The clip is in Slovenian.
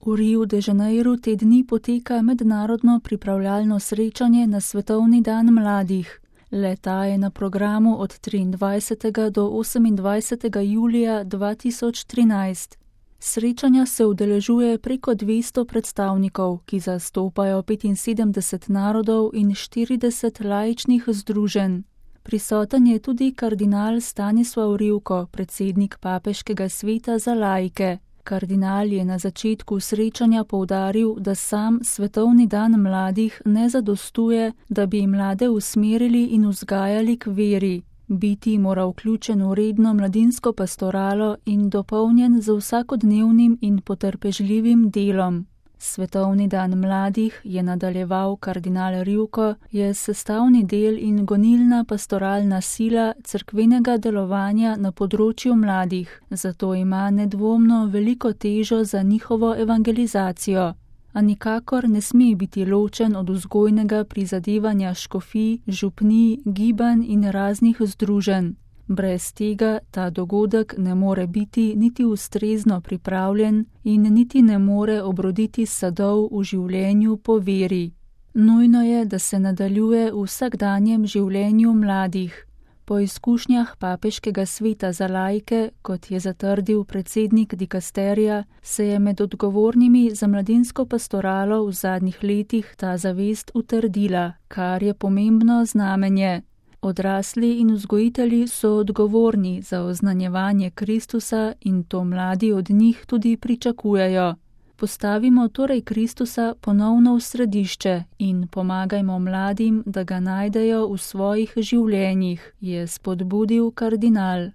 V Riu de Janeiru te dni poteka mednarodno pripravljalno srečanje na Svetovni dan mladih. Le-ta je na programu od 23. do 28. julija 2013. Srečanja se udeležuje preko 200 predstavnikov, ki zastopajo 75 narodov in 40 laičnih združenj. Prisoten je tudi kardinal Stanislav Rivko, predsednik Papeškega sveta za laike. Kardinal je na začetku srečanja poudaril, da sam Svetovni dan mladih ne zadostuje, da bi mlade usmerili in vzgajali k veri. Biti mora vključen v redno mladinsko pastoralo in dopolnjen z vsakodnevnim in potrpežljivim delom. Svetovni dan mladih, je nadaljeval kardinal Rivko, je sestavni del in gonilna pastoralna sila cerkvenega delovanja na področju mladih, zato ima nedvomno veliko težo za njihovo evangelizacijo. A nikakor ne sme biti ločen od vzgojnega prizadevanja škofij, župnij, gibanj in raznih združenj. Brez tega ta dogodek ne more biti niti ustrezno pripravljen in niti ne more obroditi sadov v življenju po veri. Nujno je, da se nadaljuje v vsakdanjem življenju mladih. Po izkušnjah Papeškega sveta za laike, kot je zatrdil predsednik dikasterija, se je med odgovornimi za mladinsko pastoralo v zadnjih letih ta zavest utrdila, kar je pomembno znamenje. Odrasli in vzgojitelji so odgovorni za oznanjevanje Kristusa in to mladi od njih tudi pričakujejo. Postavimo torej Kristusa ponovno v središče in pomagajmo mladim, da ga najdejo v svojih življenjih, je spodbudil kardinal.